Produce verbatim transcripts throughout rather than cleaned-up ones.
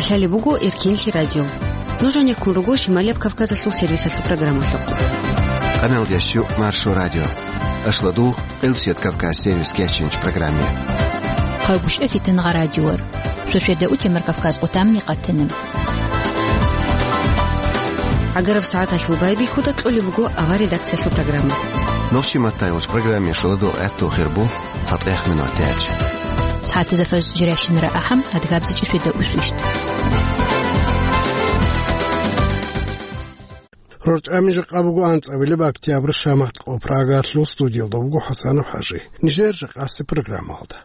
Талеб буго Эркенлъи радио. Нуж гьанеккун руго Шималияб Кавказалъул сервисалъул программалъухъ. Къаналдящу Маршо радио. Ашладу Къилсият Кавказ сервис кечинч программе. Хъагушев Фитангъа радиор. Шошеда утемар Кавказ къутамни къатана. Агараб сагӀаталъул байбихьуда кьолеб буго ава редакциялъул программа. Нохчи маттайгъуш программе шоладу гӀатту хирбу. ЦатӀехъ минутач. СагӀатазда фажр жирашинра ахӀам, адгабзичӀи шведа усвищ. РорчӀами жакъа буго анцӀабилеб октябрь шамахъ къо Прагалъул студиялда буго ХӀасанов ХӀажи. Нижер жакъаси программалда.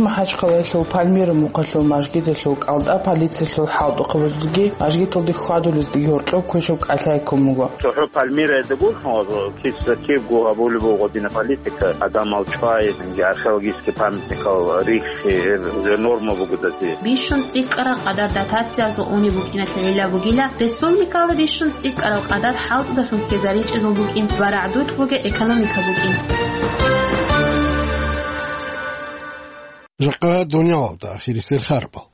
МахӀачхъалаялъул Пальмира мухъалъул мажгиталъул кӀалтӀа полициялъул хӀалтӀухъабазулги мажгиталде хьвадулездаги гьоркьоб квешаб кӀалъай ккун буго. ЦохӀо Пальмираялда гурхӀун вазу, кис затирго гьабулеб буго дина политика, гӀадамал чӀвай, археологический памятникал рихьи, гьеб норма буго дати. Бищун цӀикӀкӀараб къадар дотациязул унеб букӀиналъе гӀилла бугила, республикалда бищун цӀикӀкӀараб къадар хӀалтӀудалъун ккезаринчӀезул букӀин ва рагӀдулъ бугеб экономика букӀин. Жакъа дуниялалда ахирисел харбал.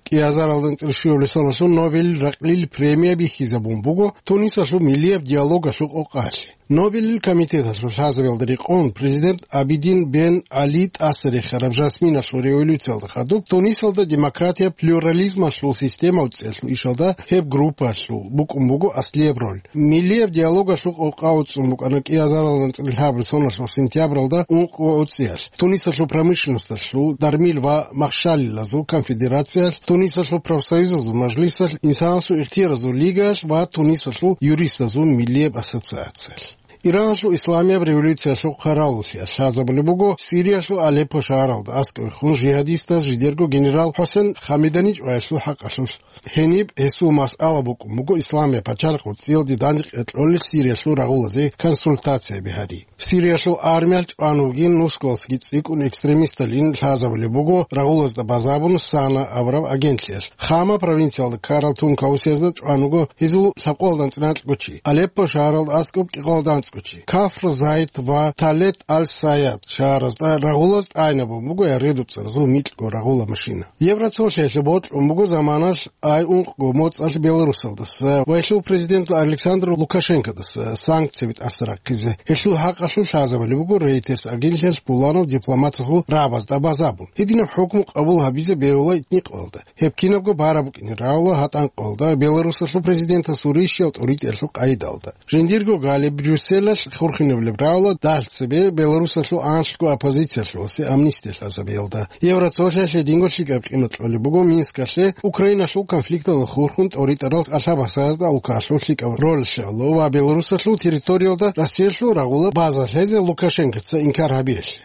КӀиазаралда анцӀила щуабилеб соналъул Нобель ракьлил премия бихьизабун буго Тунисалъул миллияб диалогалъул къокъалъе. Нобелил комитеталъул лъазабиялда рекъон президент Абидин бен Али тӀаса рехараб жасминалъул революциялда хадуб Тунисалда демократия, плюрализмалъул система уцӀиялъул ишалда гьеб группаялъул букӀун буго аслияб роль. Миллияб диалогалъул къокъа уцӀцӀун букӀана кӀиазаралда анцӀила лъабабилеб соналъул сентябралда ункъго уцӀцӀиялъ, Тунисалъул промышленносталъул, дармил ва махщалилазул конфедерациялъ, Тунисалъул профсоюзазул мажлисалъ, инсанасул ихтияразул лигаялъ ва Тунисалъул юристазул миллияб ассоциациялъ. Иранлъул исламияб революциялъул хъаравуллъиялъ лъазабулеб буго Сириялъул Алеппо шагьаралда аскӀовехун жигьадистаз жидерго генерал ХӀусен Хамедани чӀваялъул хӀакъалъулъ. Гьениб гьесул масъала букӀун буго исламияб пачалихъ уцӀцӀиялде дандекъи кьолел Сириялъул рагъулазе консультацияби гьари. Сириялъул армиялъ чӀван вугин нусгоялдасаги цӀикӀкӀун экстремисталин лъазабулеб буго рагъулазда базабун Сана абураб агентлъиялъ. Хама провинциялда ккарал тункаусиязда чӀван вуго гьезул лъабкъоялда анцӀила анкьго чи, Алеппо шагьаралда аскӀоб кӀикъоялда анцӀго чи. Кафр Зайд ва Талет аль-Саяд шагьаразда рагъулаз тӀайнабун буго редуцӀцӀаразул микьго рагъула машина. Евроцолъиялъе бокьун буго заманалъ ай ункъго моцӀалъ Беларусалдаса ва гьелъул президент Александр Лукашенкодаса санкцияби тӀаса рахъизе. Гьелъул хӀакъалъулъ лъазабулеб буго Рейтерс агентлъиялъ пуланав дипломаталъул рагӀабазда базабун. Гьединаб хӀукму къабул гьабизе бегьула итни къоялда. Гьеб кинабго бараб букӀине рагӀула гьатӀан къоялда Беларусалъул президентасул рищал тӀуритӀиялъул къайдалда. Жиндирго гали Брюсселалъ хурхинабулеб рагӀула дагь цебе Беларусалъул анлъго оппозициялъуласе амнистия лъазабиялда. Евроцолъиялъе динго лъикӀаб къимат кьолеб буго Минскалъе Украиналъул конфликталда хурхун тӀоритӀарал кӀалъа-басаязда улкалъул лъикӀаб роль щвеялъул ва Беларусалъул территориялда Россиялъул рагъула база лъезе Лукашенкоца инкар гьабиялъе.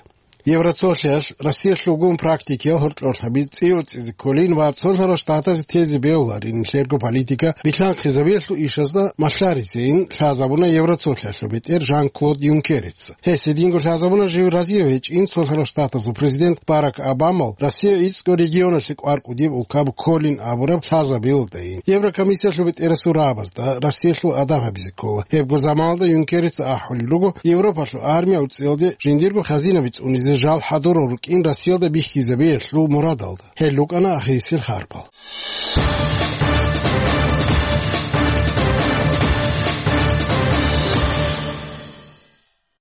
Евроцолъиялъ Россиялъулгун практикиял гьоркьорлъаби цӀи-, цӀизе кколин ва Цолъарал Штатазе тезе бегьуларин нилъерго политика билъанхъизабиялъул ишазда малъаризейин лъазабуна Евроцолъиялъул бетӀер Жан-Клод Юнкерец. Гьес гьединго лъазабуна жив разияв гьечӀин Цолъарал Штатазул президент Барак Обамал Россия ицӀго регионалъе кӀвар кӀудияб улкаб кколин абураб лъазабиялдайин. Еврокомиссиялъул бетӀерасул рагӀабазда Россиялъул адаб гьабизе ккола. Гьебго заманалда Юнкерец ахӀулел руго Европалъул армия уцӀиялде жиндирго хазинаби цӀунизе жал хӀадурал рукӀин Россиялда бихьизабиялъул мурадалда. Гьел рукӀана ахирисел харпал.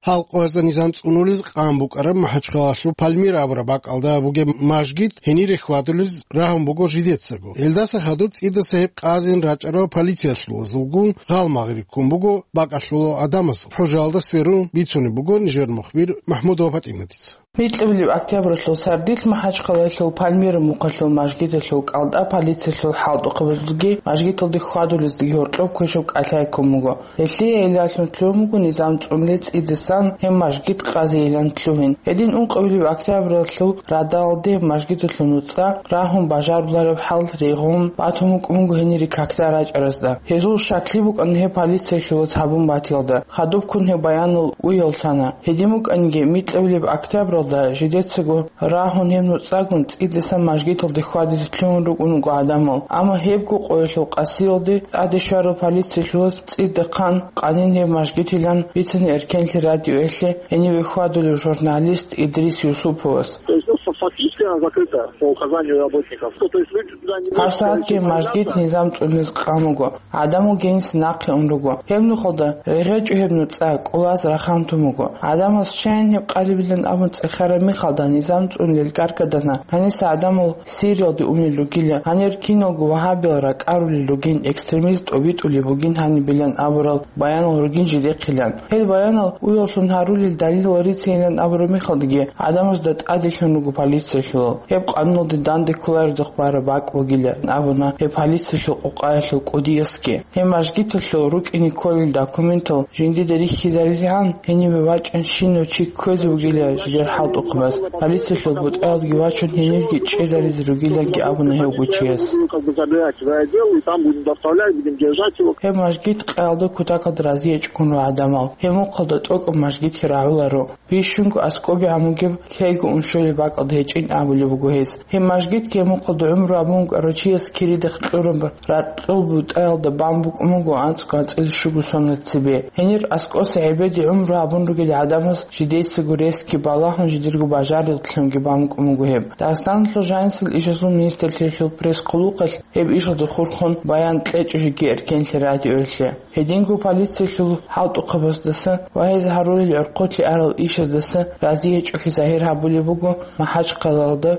Гьал къоязда низам цӀунулез къан букӀараб МахӀачхъалалъул Пальмира абураб бакӀалда бугеб мажгит гьенире хьвадулез рагьун буго жидецаго. Гьелдаса хадуб цӀидаса гьеб къазин рачӀарал полициялъулазулгун гъалмагъри ккун буго бакӀалъулал гӀадамазул. ХӀужалда сверун бицунеб буго нижер мухбир МахӀмудова ПатӀиматица. Микьабилеб октябралъул сардилъ МахӀачхъалаялъул Пальмира мухъалъул мажгиталъул кӀалтӀа полициялъул хӀалтӀухъабазулги мажгиталде хьвадулездаги гьоркьоб квешаб кӀалъай ккун буго. Гьелъие гӀиллалъун лъугьун буго низам цӀунулел цӀидасан гьеб мажгит къазейилан лъугьин. Гьедин ункъабилеб октябралъул радалде мажгиталъул нуцӀа рагьун бажарулареб хӀал регъун батун букӀун буго гьенире какда рачӀаразда. Гьезул щаклъи букӀана гьеб полициялъулаз гьабун батиялда. Хадубккун гьеб баянал уяллъана. Гьедин букӀаниги, микьабилеб октябралда жидецаго рагьун гьеб нуцӀагун цӀидасан мажгиталде хьвадизе лъугьун рукӀун руго гӀадамал, амма гьебго къоялъул къасиялде тӀаде щварал полициялъулаз цӀидахъан къанин гьеб мажгитилан бицана Эркенлъи радиоялъе гьениве хьвадулев журналист Идрис Юсуповас. Фактически она закрыта по указанию работников. Ну, то есть люди туда не могут Гьабсагьатги мажгит низам цӀунилез къан буго. ГӀадамал гьениса нахъе ун руго. Гьеб нухалда регъечӀо гьеб нуцӀа кӀулаз рахъан тун буго. ГӀадамаз щайин гьеб къалибилан абун цӀехараб мехалда низам цӀунилел каркадана. Гьаниса гӀадамал Сириялде унел ругила. Гьанир киналго вагьабиял ракӀарулел ругин, экстремист тӀобитӀулеб бугин гьанибилан абурал баянал ругин жидехъилан. Гьел баянал уяллъун гьарулел далилал рицейилан абураб мехалдаги, гӀадамазда тӀаделъун руго полициялъулал. Гьеб къануналде данде кколареб бараб бакӀ бугилан абуна гьеб полициялъул къокъаялъул кӀудиясги. Гьеб мажгиталъул рукӀине кколел документал жиндида рихьизаризегӀан, гьенибе вачӀанщинав чи кквезе вугила жидер хӀалтӀухъабаз. Полициялъул бутӀаялдги вачун гьенирги чӀезаризе ругиланги абуна гьев гучияс. Как бы забирать свое дело, и там будем доставлять, будем держать его. Гьеб мажгит къаялда кутакалда разиячӀгун ва гӀадамал гьеб мухъалда тӀокӀаб мажгитги рагӀуларо. Бищунго аскӀобегӀан бугеб лъейго уншолеб бакӀалда гьечӀин абулеб буго гьес. Гьеб мажгитги гьеб мухъалда гӀумру гьабун вукӀарав чияс кирида кьураб ракьул бутӀаялда бан букӀун буго анцӀго анцӀила щуго сона цебе. Гьенир аскӀоса гӀебеде гӀумру гьабун ругел гӀадамаз жидецаго ресги балагьун жидерго бажарилъунги бан букӀун буго гьеб. Дагъистаналъул жанисел ишазул министрлъиялъул пресс-хъулухъалъ гьеб ишалда хурхун баян кьечӀо жеги эркенлъи радиоялъе. Гьединго полициялъул хӀалтӀухъабаздаса ва гьез гьарулел гӀорхъолъи арал ишаздаса разиячӀухъе загьир гьабулеб буго МахӀачхъалалда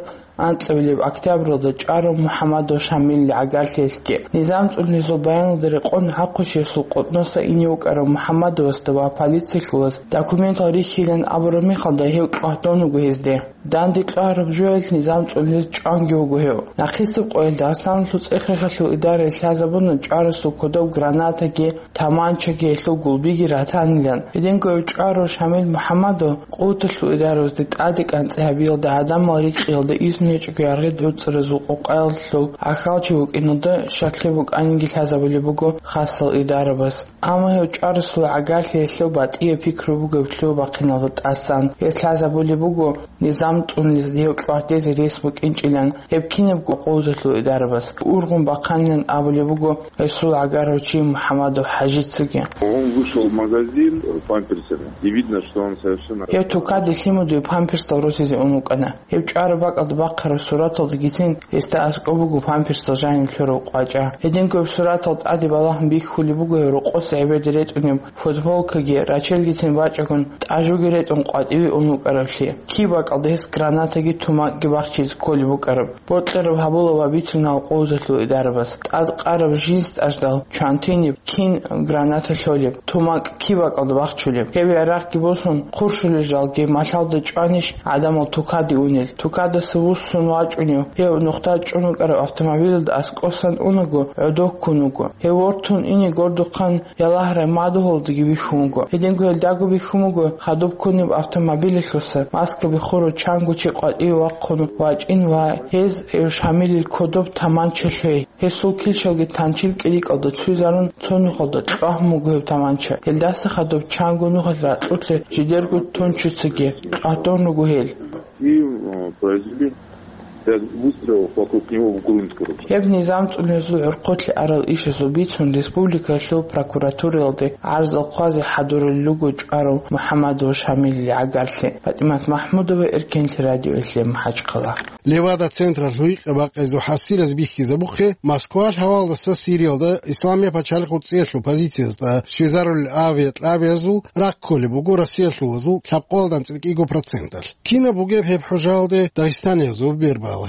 анкьабилеб октябралда чӀварав МухӀаммадов Шамилил гӀагарлъиялъги. Низам цӀунилезул баяналда рекъон гӀахъучиясул къотӀноса ине вукӀарав МухӀаммадовасда ва полициялъулаз документал рихьилан абураб мехалда гьев чӀватун вуго гьезде. Данде кьвараб жоялъ низам цӀунилез чӀванги вуго гьев. Нахъисеб къоялъ Дагъистаналъул цӀех-рехалъул идараялъ лъазабуна чӀварасул кодоб гранатаги, таманчаги, гьелъул гулбиги ратанилан. Гьединго гьев чӀварав Шамил МухӀаммадов къуваталъул идарабазде тӀаде кӀанцӀи гьабиялда гӀадамал рикьиялда изну гьечӀого яргъи гӀуцӀаразул къокъаялъул ахьалчи вукӀиналда щаклъи букӀаниги лъазабулеб буго хасал идарабаз. Амма гьев чӀварасул гӀагарлъиялъул батӀияб пикру бугеб лъугьа-бахъиналда тӀасан. Гьес лъазабулеб буго низам цӀунилезда гьев чӀватӀезе рес букӀинчӀилан, гьеб кинабго къуваталъул идарабаз ургъун бахъанилан абулеб буго гьесул гӀагарав чи МухӀаммадов ХӀажицаги. Он вышел в магазин, э, памперсами. И видно, что он совершенно Гьев тукаде лъимудуе памперсал росизе ун вукӀана. Гьев чӀвараб бакӀалда бахъараб сураталдагицин гьесда аскӀоб буго памперсал жаниб лъурав къвачӀа. Гьединго гьеб суратал тӀаде балагьун бихьулеб буго гьев рокъоса гӀебеде ретӀунеб футболкаги, рачелгицин бачӀагун тӀажуги ретӀун къватӀиве ун вукӀаравлъи. Киб бакӀалда гьес гранатаги тумакги бахчизе кколеб букӀараб. Бокьараб гьабула ва бицуна къуваталъул идарабаз. ТӀадкъараб жинс тӀаждал чвантиниб, кин граната лъолеб, тумакь киб бакӀалда бахчулеб. Гьеб ярагъги босун, хуршулел жалги малъалда чӀванищ гӀадамал тукаде унел? Тукадаса вуссун вачӀунев гьев нухда чӀун вукӀараб автомобилалда аскӀосан унаго, гӀодов ккун вуго. Гьев вортун ине гордухъан Ялагьрай мадугьалдаги вихьун вуго. Гьединго гьелдаго бихьун буго хадуб ккунеб автомобилалъуса маскаби хурав чанго чи къватӀиве вахъун вачӀин ва гьез Шамилил кодоб таманча лъей. Гьесул килщалги танчил кӀирикӀалда цуйзарун, цо нухалда кьвагьун буго гьеб таманча. Гьелдаса хадуб чанго нухалъ ракьулъе жидерго тунчицаги къатун руго гьел. И, э, произвели пять выстрелов вокруг него в грунт, короче. Гьеб низам цӀунилезул гӀорхъолъи арал ишазул бицун республикалъул прокуратураялде гӀарзал хъвазе хӀадурулел руго чӀварав МухӀаммадов Шамилил гӀагарлъи. ПатӀимат МахӀмудова, Эркенлъи радиоялъе, МахӀачхъала. Левада-централъ гьикъа-бакъизул хӀасилаз бихьизабухъе, Москвалъ гьавалдаса Сириялда Исламияб пачалихъ цӀиялъул позициязда щвезарулел авиакьабиязул рахъ кколеб буго Россиялъулазул лъабкъоялда анцӀила кӀиго проценталъ. Кинаб бугеб гьеб хӀужаялде дагъистаниязул бербалагьи?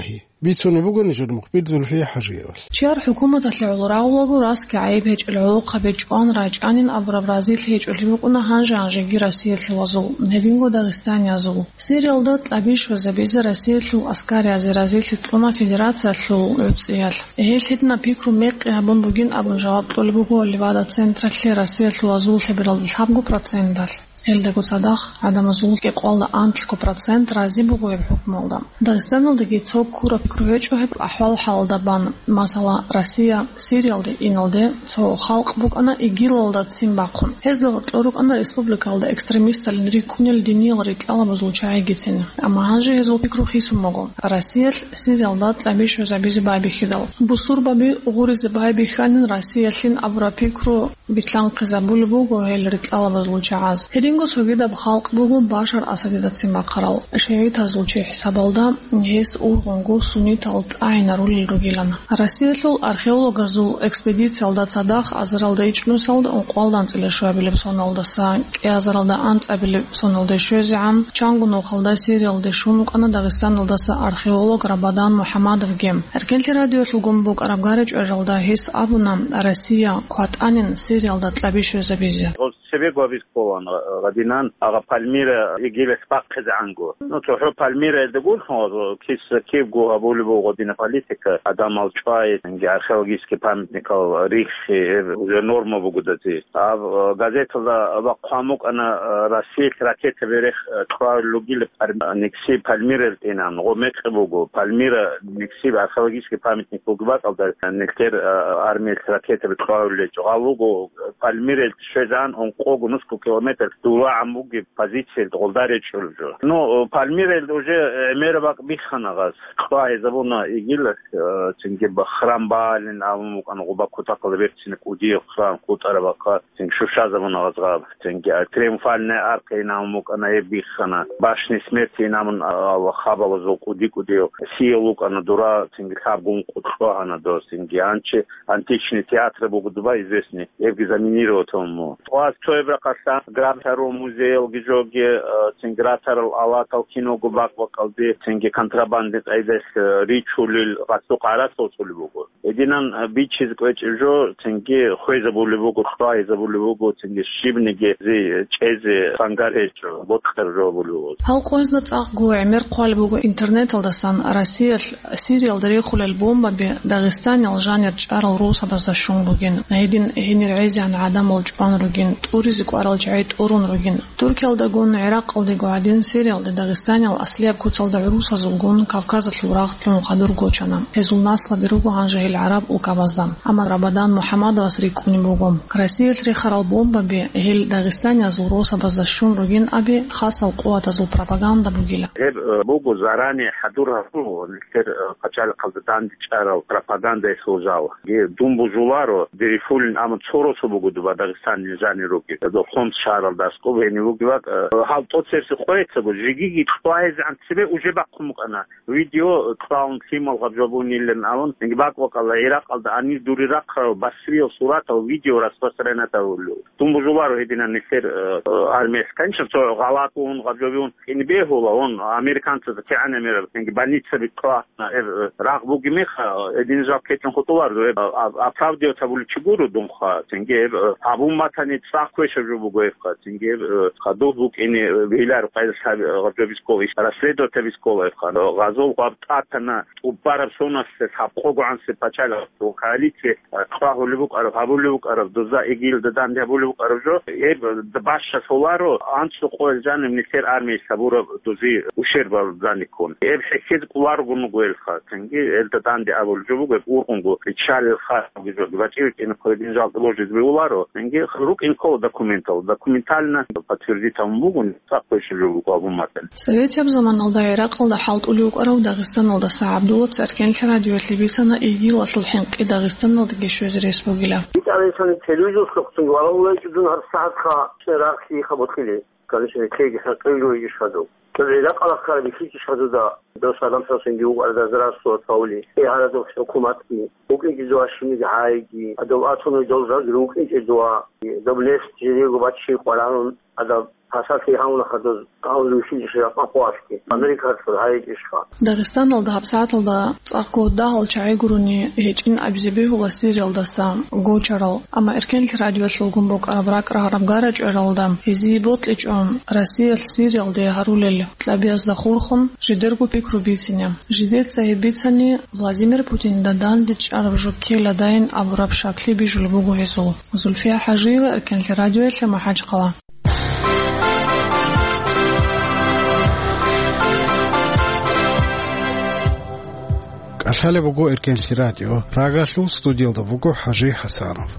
Бицунеб буго нижер мухбир Зульфия ХӀажиевалъ. Чияр хӀукуматалъе гӀоло рагъулаго, расги гӀайиб гьечӀел гӀолохъаби чӀван рачӀанин абураб разилъи гьечӀолъи букӀуна гьанже-гьанжеги Россиялъулазул, гьединго дагъистаниязул. Сириялда тӀаби щвезабизе Россиялъул аскариязде разилъи кьуна федерациялъул гӀуцӀиялъ. Гьел гьединаб пикру мекъи гьабун бугин абун жаваб кьолеб буго Левада-централъе Россиялъулазул лъебералда лъабго проценталъ. Гьелдаго цадахъ гӀадамазул кӀикъоялда анлъго процент рази буго гьеб хӀукмуялда. Дагъистаналдаги цо ккураб пикру гьечӀо гьеб ахӀвал-хӀалалда бан. Масала, Россия Сириялде иналде цо халкъ букӀана ИГИЛалда ццин бахъун. Гьезда гьоркьор рукӀана республикалда экстремисталин рикӀкӀунел диниял ритӀкӀалабазул чагӀигицин. Амма гьанже гьезул пикру хисун буго Россиялъ Сириялда тӀаби щвезабизе байбихьидал. Бусурбаби гъуризе байбихьанин Россиялъин абураб пикру битлъанхъизабулеб буго гьел ритӀкӀалабазул чагӀаз. Цинго цогидаб халкъ буго Башар Асадидацин бахъарал. ШигӀитазул чи хӀисабалда гьес ургъунго суннитал тӀагӀинарулел ругилан. Россиялъул археологазул экспедициялда цадахъ азаралда ичӀнусалда ункъоялда анцӀила щуабилеб соналдаса кӀиазаралда анцӀабилеб соналде щвезегӀан, чанго нухалда Сириялде щун вукӀана Дагъистаналдаса археолог Рабадан МухӀаммадовги. Эркенлъи радиоялъулгун букӀараб гара-чӀваралда гьес абуна, Россия кватӀанин Сириялда кьаби щвезабизе. Цебе гьабиз кколан гъадинан, агъа Пальмира игилас бахъизегӀанго. Ну, цохӀо Пальмираялда гурлъун, кис кибго гьабулеб буго гъадина политика, гӀадамал чӀвай, цинги археологический памятникал риххи, гьеб уже норма буго дати. Гьаб, э, газеталда бахъун букӀана, э, Россиялъ ракетаби рех, э, кьварулел ругилан Пальм-, Никси Пальмирал тӀинан, гъо мекъи буго, Пальмира Никси археологический памятник буго бакӀалда, э, нилъер, э, армиялъ ракетаби кьварулел гьечӀо. Гьаб буго, э, Пальмирал щвезан ункъого нусго километр дулагӀан бугеб позициялда гъолда речӀчӀулеб жо. Ну, Пальмиралда уже, э, гӀемераб бакӀ биххана гъаз. Кьвагьизабуна игилас, э, цинги ба-, храм Баалин абун букӀана, гъуба кутакалда берцинаб кӀудияб храм хутӀараб бахъа, цинги щущазабуна гъаз гъаб. Цинги, а, Триумфальная арка ин абун букӀана, гьеб биххана. Башни смерти ин абун, а, а, хабалазул кӀуди-кӀудияв сиял вукӀана дура, цинги лъабгун къутӀ лъугьана дос, цинги анчи античный театр буго дуба известный, гьебги заминировать гьабун буго. Тхъваз цояб рахъалъан гратарул музеялги жоги, э, цин гратарал алатал киного бакӀ-бакӀалде, цинги контрабандный къайдалъ, э, ричулел гъацо къарацал цӀулеб буго. Гьединан, э, бичизе кӀвечӀеб жо, цинги хвезабулеб буго, хвайзабулеб буго, цинги щибниги зи чӀезе сангар гьечӀо, бокьараб жо буго. Гьал къоязда цӀакъго гӀемер хъвалеб буго интернеталдасан Россиялъ Сириялда рехулел бомбаби Дагъистаниял жанир чӀарал росабазда щун бугин, гьедин гьенир гӀезегӀан гӀадамал чӀван ругин, тӀуризе кӀварал чагӀи тӀурун ругин. Туркиялдагун, ГӀиракъалдего гӀадин, Сириялда Дагъистаниял аслияб куцалда гӀурусазулгун Кавказалъул рагъ лъун хадур гочана. Гьезул наслаби руго гьанже гьел гӀараб улкабазда. Амма Рабадан МухӀаммадовас рикӀкӀунеб буго, Россиялъ рехарал бомбаби гьел дагъистаниязул росабазда щун ругин аби хасал къуватазул пропаганда бугила. Гьеб, э, буго заранее хӀадур гьабун, нилъер, э, пачалихъалда данде чӀарал пропагандалъул жал. Ге-, дун бужуларо, дерихьулин, амма цо росу буго дуба Дагъистаниялъ жанир ругел. Дов Хомс шагьаралда аскӀоб гьенив вугеваг, э, гьал тӀоцерси къояцаго, жигиги кьвагьизегӀан цебе уже бахъун букӀана. Видео, э, кьвагьун лъимал гъаб жо бунилан абун, инги бакӀ-бакӀалда, ГӀиракъалда гьанир дури рахъарал Басриял суратал видео распространять гьабулев. Дун бужуларо гьединан нилъер, э, армиялъ. Конечно, цо гъалатӀун, гъаб жо бигьун, кӀинибегьула, он, американцазда кигӀан гӀемераб, инги больницаби кьвагьана, э, рагъ бугеб меха, э, гьедин жал ккечӀун хутӀуларо, э, а, а, оправдывать гьабулев чи гуро дунха, цинги, э, гьаб умматани цӀакъ квешаб жо буго гьебха, цинги, э, хадуб букӀине, э, бегьиларо къайдалъ гьаб-, э, гъаб жо бискола, иш расследовать гьабискола гьебха. Гъазул гъаб тӀатана, тӀубараб соналъ гьаб къогогӀансе пачалихъ коалиция, э, кьвагьулеб букӀараб, гьабулеб букӀараб, доза игилда данде гьабулеб букӀараб жо, гьеб бащалъуларо анцӀго къоял жаниб нилъер армиялъ гьабураб дози ущербал даниккун. Гьеб хӀехьезе кӀоларого буго гьелха, цинги гьелда данде абулеб жо буго, гьеб ургъунго, печалил хабги жо, бачӀи бикӀине хъведин жал божизе бегьуларо, цинги рукӀин ккола документал, документально подтвердить гьабун буго, цӀакъ квешаб жо буго гьаб умматани. Советияб заманалда ГӀиракъалда хӀалтӀулев вукӀарав Дагъистаналдаса ГӀабдуллаца Эркенлъи радиоялъе бицана игилалъул хӀинкъи Дагъистаналдаги щвезе рес бугила. ИтӀалисани телевизор лъухъцинги валагьулайчӀо дун гьаб сагьатха рахъ хабалъили. Конечно, кеги хӀинкъи жо йигищ хадув. Цо гӀиракъала ккараб бихьичӀищ хадуда, дос Адам Хасанги вукӀарда здравствовать гьавули, гьарадухъ хӀукуматги, вукӀинчӀезва щибниги гьайги, гьадав атуни дов жаги рукӀинчӀезва, доб нефть жидего бачи къваранун, гьадаб пасалъи гьавуна хадуз, гьавуз вихьичӀищ ракъа къвалъги, Америкалъур гьайичӀищха. Дагъистаналда гьабсагӀаталда цӀакъго дагьал чагӀи гурони гьечӀин абизе бегьула Сириялдаса гочарал, амма Эркенлъи радиоялъулгун букӀараб ракӀ рагьараб гара-чӀваралда гьезие бокьичӀо Россиялъ Сириялде гьарулел кьабиязда хурхун жидерго пикру бицине. Жидеца гьеб бицани, Владимир Путинда данде чӀараб жо ккеладайин абураб шаклъи бижулеб буго гьезул. Зульфия ХӀажиева, Эркенлъи радиоялъе, МахӀачхъала. КӀалъалеб буго Эркенлъи радио. Прагалъул студиялда буго ХӀажи ХӀасанов.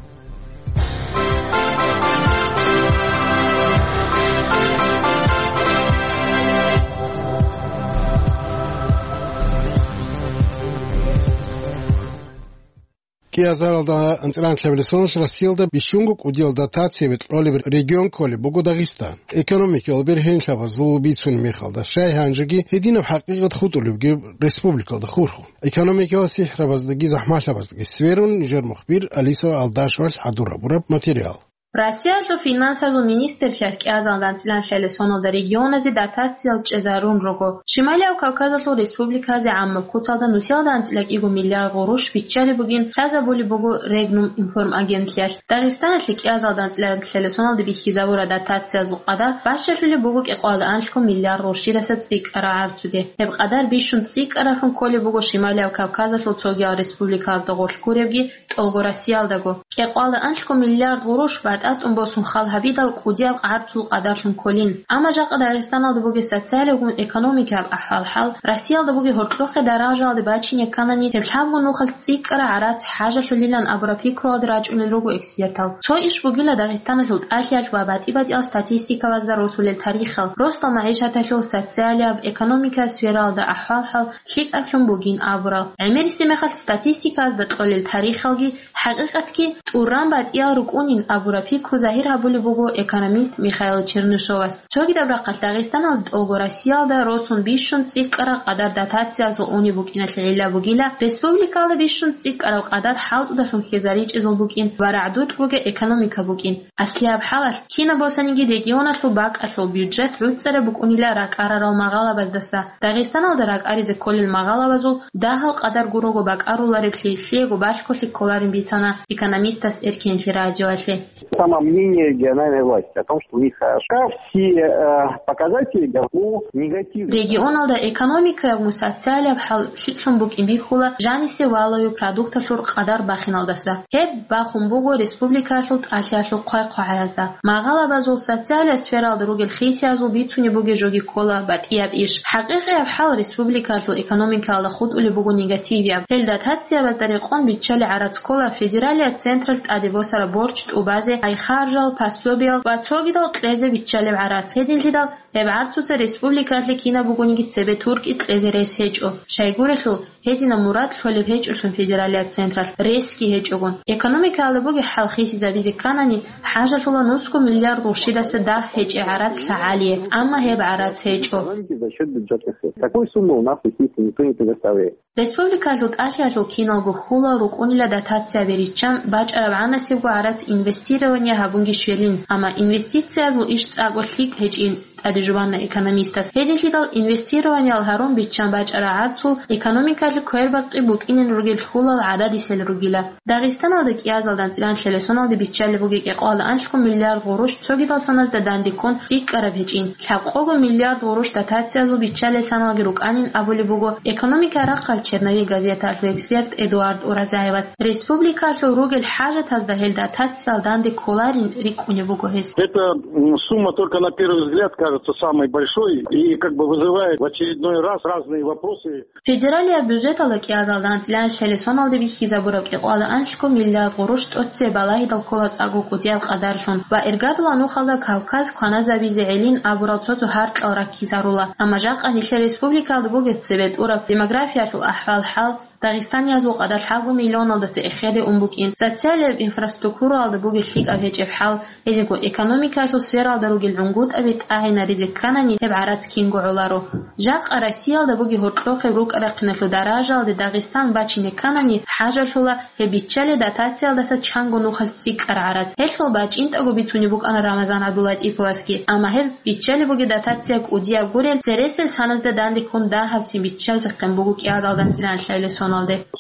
Азаралда анцӀран лъабилесоналъ Россиялда бищунго кӀудиял дотацияби кьолеб регион кколеб буго Дагъистан. Экономикиял бергьенлъабазул бицунеб мехалда, щай гьанжеги гьединаб хӀакъикъат хутӀулебги республикалда хурхун. Экономикиял сихӀрабаздаги захӀмалъабаздаги сверун, нижер мухбир Алиса Алдашевалъ хӀадур гьабураб материал. Россиялъул финансазул министрлъиялъ кӀиазалда анцӀилан лъалесоналда регионазе дотациял чӀезарун руго. Шималияв Кавказалъул республиказе гӀаммаб куцалда нусиялда анцӀила кӀиго миллиард гъурущ биччалеб бугин лъазабулеб буго Регнум информагентлъиялъ. Дагъистаналъе кӀиазалда анцӀила лъалесоналда бихьизабураб дотациязул къадар бащалъулеб буго кӀикъоялда анлъго миллиард гъурщидаса цӀикӀкӀараб гӀарцуде. Гьеб къадар бищун цӀикӀкӀараблъун кколеб буго Шималияв Кавказалъул цогиял республикаялда гъорлъ гуребги, тӀолго Россиялдаго. КӀикъоялда анлъго миллиард гъурущ батӀа тӀун босун хал гьабидал кӀудияб гӀарцул къадарлъун кколин. Амма жакъа Дагъистаналда бугеб социалиябгун экономикияб ахӀвал-хӀал, Россиялда бугеб гьоркьохъеб даражаялде бачине кканани, гьеб лъабго нухалъ цӀикӀкӀараб гӀарац хӀажалъулилан абураб пикруялде рачӀунел руго экспертал. Цо иш бугила Дагъистаналъул тӀалъиялъ ва батӀи-батӀиял статистикабазда росулел тарихал, росдал магӀишаталъул, социалияб, экономикияб сфералда ахӀвал-хӀал лъикӀаблъун бугин абурал. ГӀемерисеб мехалъ статистикаялда кьолел тарихалги, хӀакъикъатги тӀуран батӀиял рукӀунин абураб пикру загьир гьабулеб буго экономист Михаил Чернышовас. Цогидаб рахъалъ Дагъистаналда тӀолго Россиялда росун бищун цӀикӀкӀараб къадар дотациязул унеб букӀиналъе гӀилла бугила, республикаялда бищун цӀикӀкӀараб къадар хӀалтӀудалъун хьезаричӀезул букӀин ва рагӀдукь бугеб экономика букӀин. Аслияб хӀалалъ, кинаб босаниги регионалъул бакӀалъул бюджет гӀуцӀараб букӀунила ракӀарарал магъалабаздаса. Дагъистаналда ракӀаризе кколел магъалабазул дагьал къадар гурого бакӀарулареблъи, лъиего балъголъи кколарин бицана экономистас Эркенлъи радиоялъе. Самомнение региональной власти о том, что у них хорошо. Все, э, показатели, ну, негативные. Регионалда экономикаяб ва социалияб хӀал лъикӀлъун букӀин бихьула жанисе валаве продукталъул къадар бахиналдаса. Гьеб бахун буго республикаялъул тӀалъиялъул хъвай-хъвагӀаязда. Магъалабазул социалияб сфералда ругел хисиязул бицунеб бугеб жоги ккола батӀияб иш. ХӀакъикъияб хӀал республикаялъул экономикаялда хутӀулеб буго негативияб. Гьел дотациябазда рекъон биччалеб гӀарац ккола федералияб централъ тӀаде босараб борч тӀубазе, ай-харжал, пособиял ва цогидал кьезе биччалеб гӀарац. Гьединлъидал гьеб гӀарцуца республикаялъе кинаб бугониги цебе туркӀи кьезе рес гьечӀо. Щайгурелъул, гьединаб мурад лъолеб гьечӀолъун федералияб централъ ресги гьечӀогун. Экономикаялда бугеб хӀал хисизабизе кканани, хӀажалъула нусго миллиард гъурщидаса дагь гьечӀеб гӀарац лъагӀалие, амма гьеб гӀарац гьечӀо. Экономики за счёт бюджетных средств. Такой суммы у нас, естественно, никто не предоставляет. Республикаялъул тӀалъиялъул киналго хьулал рукӀунила дотацияби риччан бачӀараб гӀанасебго гӀарац инвестирование гьабунги щвелин, амма инвестициязул иш цӀакъго лъикӀ гьечӀин. ТӀаде жубана экономистас. Гьединлъидал инвестированиял гьарун биччан бачӀараб гӀарцул экономикалъе квербакъи букӀинин ругел хьулал гӀададисел ругила. Дагъистаналда кӀиазалда анцӀилан лъелесоналде биччалеб бугеб кӀикъоялда анлъго миллиард гъурущ цогидал саназда данде ккун цӀикӀкӀараб гьечӀин. Лъабкъого миллиард гъурущ дотациязул биччалел саналги рукӀанин абулеб буго «Экономика» рахъалъ «Черновик» газеталъул эксперт Эдуард Уразаевас. Республикалъул ругел хӀажатазда гьел дотациял данде кколарин рикӀкӀунеб буго гьес. Это, м, сумма только на первый взгляд кажется самой большой и как бы вызывает в очередной раз разные вопросы. Федералияб бюджеталда кӀиазалда анцӀилан лъелесоналде бихьизабураб кӀикъоялда анлъго миллиард гъурущ тӀоцебе балагьидал ккола цӀакъго кӀудияб къадарлъун ва иргадула нухалда Кавказ кваназабизе гӀелин абурал цо-цо гьаркьал раккизарула. Амма жакъа нилъер республикалда бугеб цебе тӀураб демографиялъул ахӀвал-хӀал, дагъистаниязул къадар лъабго миллионалдаса эхеде ун букӀин, социалияб инфраструктуралда бугеб лъикӀаб гьечӀеб хӀал, гьединго экономикаялъул сфералда ругел гӀунгутӀаби тӀагӀинаризе кканани, гьеб гӀарац кинго гӀоларо. Жакъа Россиялда бугеб гьоркьохъеб рукӀа-рахъиналъул даражалде Дагъистан бачине кканани, хӀажалъула гьеб биччалеб дотациялдаса чанго нухалъ цӀикӀкӀараб гӀарац. Гьелъул бачӀинтӀаго бицунеб букӀана Рамазан ГӀабдуллатӀиповасги, амма гьеб биччалеб бугеб дотация кӀудияб гурел, цересел саназда данде ккун дагьабцин биччалзехъин буго кӀиазалда анцӀилан лъелесоналде.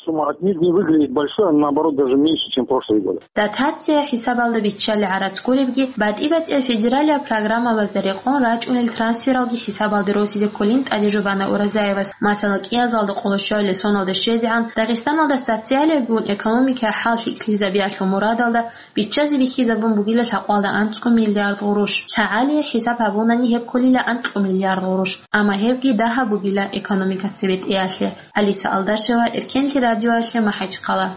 Сумма отнюдь не выглядит большой, она, наоборот, даже меньше, чем прошлые годы. Дотация хӀисабалда биччалеб гӀарац гуребги, батӀи-батӀияб федералияб программабазда рекъон рачӀунел трансфералги хӀисабалде росизе кколин тӀаде жубана Уразаевас. Масала, кӀиазалда къоло щуялъе соналда щвезегӀан Дагъистаналда социалиябгун экономикаялъул хӀал лъикӀлъизабиялъул мурадалда биччазе бихьизабун бугила лъабкъоялда анцӀго миллиард гъурущ. ЛъагӀалие хӀисаб гьабунани гьеб кколила анкьго миллиард гъурущ. Амма гьебги дагьаб бугила экономика цебетӀеялъе. Алиса Алдашева, Эркенлъи радиоялъе, МахӀачхъала.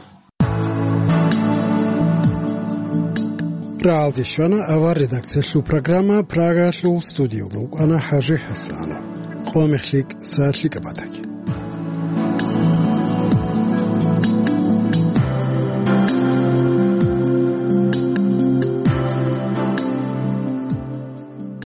РагӀалде щвана авар редакциялъул программа, Прагалъул студиялда вукӀана ХӀажи ХӀасанов. Къо мехлъи, сагӀат лъикӀаб батаги.